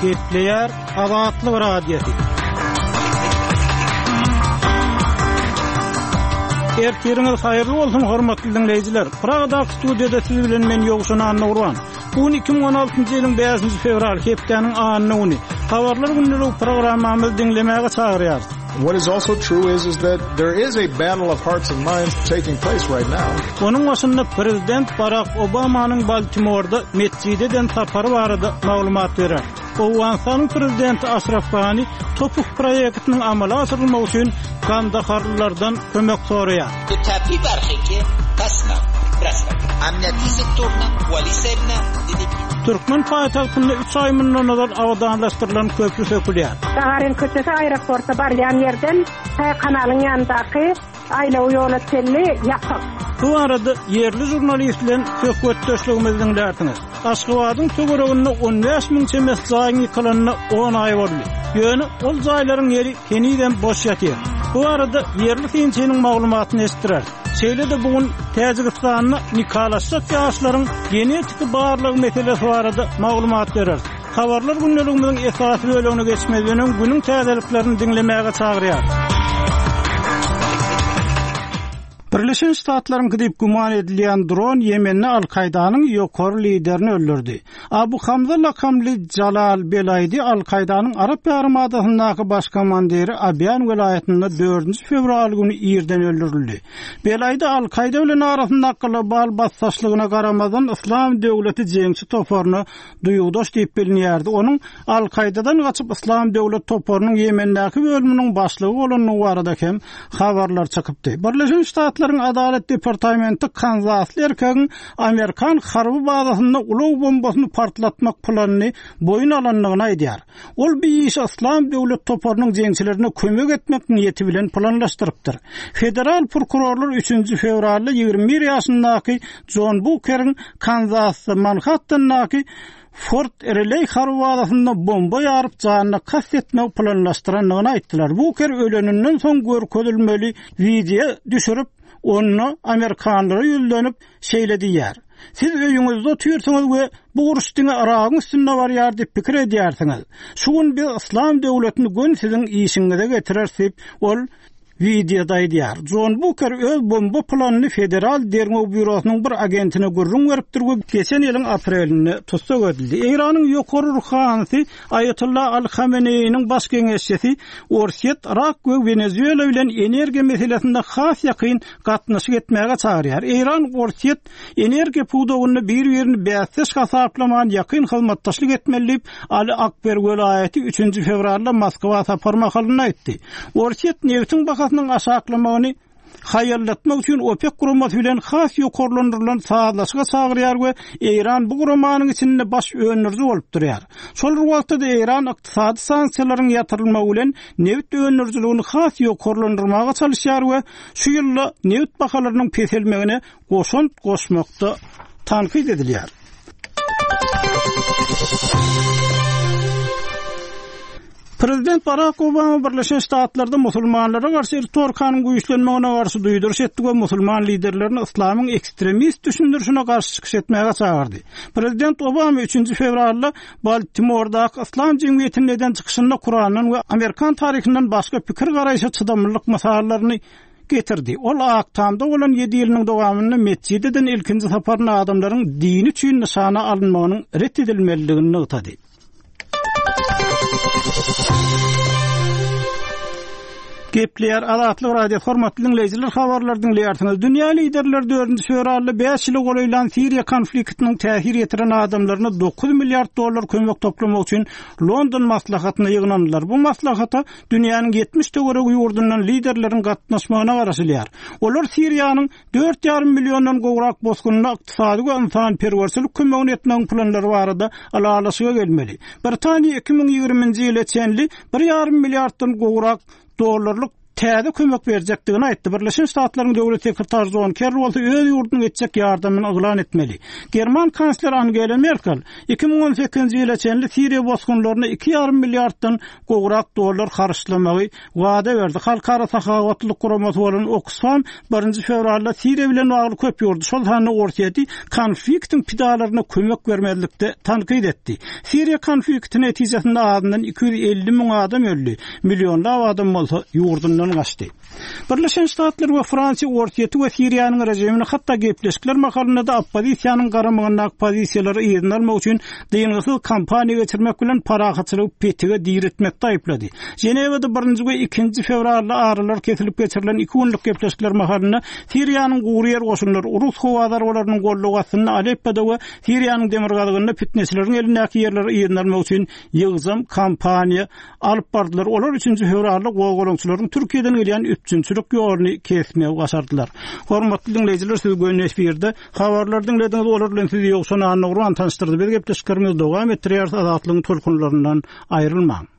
Gepleýär Azatlyk Radiosy. Ertiriňiz haýyrly bolsun, hormatly diňleýjiler. Pragadaky studiýada siz bilen men Ýowşan Annagurban. Bu gün 2016-njy ýylyň 5-nji fewraly, hepdäniň anna güni. Habarlar gündelik programmamyzy diňlemäge çagyrýarys. What is also true is is that there is a battle of hearts and minds taking place right now. Onuň başynda prezident Barak Obamanyň Baltimorda metjide eden sapary barada maglumat berer. Owganystanyň prezidenti Aşraf Gani Topuk proýektiniň amala aşyrylmagy üçin gandaharlylardan kömek soraýar. Türkmen paýtagtynda üç aý mundan ozal abadanlaşdyrylan köpri sökülýär. Gagarin köçesi aeroporta barýan ýerden tä kanalyň ýanyndaky Aýlaw ýola çenli ýapyk. Bu barada ýerli žurnalist bilen söhbetdeşligimizi diňlärsiňiz. Aşgabadyň töwereginde 15 müň çemesi jaýyň ýykylanyna on aý boldy. Ýöne ol jaýlaryň ýeri henizem boş ýatyr. Bu barada ýerli synçynyň maglumatyny eşitdireris. Şeýle-de bu gün Täjigistanda nikalaşjak ýaşlaryň genetiki barlagy meselesi barada maglumat bereris. Habarlar gündeligimiziň esasy bölegine geçmezden öň günüň täzeliklerini diňlemäge çagyrýarys. Birleşen Ştatlaryňky diýip güman edilýän dron Ýemende Al-Kaýdanyň ýokary liderini öldürdi. Abu Hamza lakamly Jalal Belaýdi Al-Kaýdanyň Arap ýarymadasyndaky baş komandiri Abýan welaýatynda dördünji fewral güni irden öldürildi. Belaýdi Al-Kaýda bilen arasyndaky global basdaşlygyna garamazdan Yslam döwleti jeňçi toparyna duýgudaş diýip bilinýärdi. Onuň Al-Kaýdadan gaçyp Yslam döwlet toparynyň Ýemendäki bölüminiň başlygy bolandygy barada hem habarlar çykypdy. Birleşen Ştatlaryň Adalat departamenti kanzasly erkegiň amerikan harby bazasynda ulag bombasyny partlatmak planyny boýun alandygyny aýdýar. Ol bu işi Yslam döwlet toparynyň jeňçilerine kömek etmek niýeti bilen planlaşdyrypdyr. Federal prokurorlar üçünji fewralda 21 ýaşyndaky Jon Bukeriň Kanzasda Manhattandaky Fort Rileý harby bazasynda bomba ýaryp janyna kast etmegi planlaşdyrandygyny aýtdylar. Buker öleninden soň görkezilmeli wideo düşürip, onda amerikanlara ýüzlenip, şeýle diýýär, Siz öýüňizde otyrsyňyz we bu uruş diňe Yragyň üstünde barýar diýip pikir edýärsiňiz. Şu gün biz Yslam döwletini göni siziň işigiňize getireris diýip, ol Wideoda aýdýar. Jon Buker öz bomba planyny Federal derňew býurosynyň bir agentine gürrüň beripdir we geçen ýylyň aprelinde tussag edildi. Eýranyň ýokary ruhanysy Aýatollah Aly Hameneýiniň baş geňeşçisi Orsýet, Yrak we Wenezuela bilen energiýa meselesinde has ýakyn gatnaşyk etmäge çagyrýar. Eýran, Orsýet energiýa pudagynda bir-birini bäsdeş hasaplaman ýakyn hyzmatdaşlyk etmeli diýip, Ali Akber Welaýaty üçünji fewralda Moskwa sapar mahalynda aýtdy. Orsýet nebitiň bahasynyň aşaklamagyny haýallatmak üçin OPEK guramasy bilen has ýokarlandyrylan sazlaşyga çagyrýar we Eýran bu guramanyň içinde baş öndüriji bolup durýar. Şol bir wagtda-da Eýran ykdysady sanksiýalaryň ýatyrylmagy bilen nebit öndürijiligini has ýokarlandyrmaga çalyşýar we şu ýylda nebit bahalarynyň peselmegine goşant goşmakda tankyt edilýär. Prezident Barak Obama Birleşen Ştatlarda musulmanlara garşy ritorikanyň güýçlenmegine garşy duýduryş etdi we musulman liderlerini yslamyň ekstremist düşündirişine garşy çykyş etmäge çagyrdy. Prezident Obama üçünji fewralda Baltimordaky Yslam jemgyýetinde eden çykyşynda Kurandan we amerikan taryhyndan başga pikir-garaýşa çydamlylyk mysallaryny getirdi. Ol Ak Tamda bolan ýedi ýylynyň dowamynda metjide eden ilkinji saparynda adamlaryň dini üçin nyşana alynmagynyň ret edilmelidigini nygtady. Gepleýär Azatlyk Radiosy hormatly diňleýjiler habarlary diňleýärsiňiz. Dünýä liderleri dördünji fewralda bäş ýyla golaýlan Siriýa konfliktiniň täsir ýetiren adamlaryna 9 milliard dollar kömek toplamak üçin London maslahatyna ýygnandylar. Bu maslahata dünýäniň 70 töweregi ýurdundan liderleriň gatnaşmagyna garaşylýar. Olar Siriýanyň Dört ýarym milliondan gowrak bosgunyna ykdysady we ynsanperwerçilik kömegini etmegiň planlary barada ylalaşyga gelmeli. Britaniýa 2020-nji ýyla çenli bir ýarym milliarddan gowrak dollarlyk. täze kömek berjekdigini aýtdy. Birleşen Ştatlaryň döwlet sekretary Jon Kerri bolsa öz ýurdunyň etjek ýardamyny yglan etmeli. German kansleri Angela Merkel 2018-nji ýyla çenli Siriýa bosgunlaryna iki ýarym milliarddan gowrak dollar harçlamagy wada berdi. Halkara sahawatlylyk guramasy bolan Oksfam birinji fewralda Siriýa bilen bagly köp ýurdy, şol sanda Orsýeti konfliktiň pidalaryna kömek bermezlikde tankyt etdi. Siriýa konflikti netijesinde azyndan 250 müň adam öldi, millionlap adam bolsa ýurdundan gaçdy. Birleşen Ştatlar we Fransiýa Orsýeti we Siriýanyň režimini hatda gepleşikler mahalynda-da oppozisiýanyň garamagyndaky pozisiýalary yzyna almak üçin dyngysyz kampaniýa geçirmek bilen parahatçylygy petige diretmekde aýyplady. Ženewada birinji we ikinji fewralda aralar kesilip geçirilen iki günlük gepleşikler mahalynda Siriýanyň gury ýer goşunlary rus howa zarbalarynyň goldawy astynda Aleppoda we Siriýanyň demirgazygynda pitneçileriň elindäki ýerleri yzyna almak üçin ýygjam kampaniýa alyp bardylar. Olar üçünji fewralda gozgalaňçylaryň Türkiýeden gelýän üpjünçilik ýoluny kesmegi başardylar. Hormatly diňleýjiler, siz göni efirde habarlary diňlediňiz. Olar bilen sizi Ýowşan Annagurban tanyşdyrdy. Biz gepleşiklerimizi dowam etdirýäris. Azatlygyň tolkunlaryndan aýrylmaň.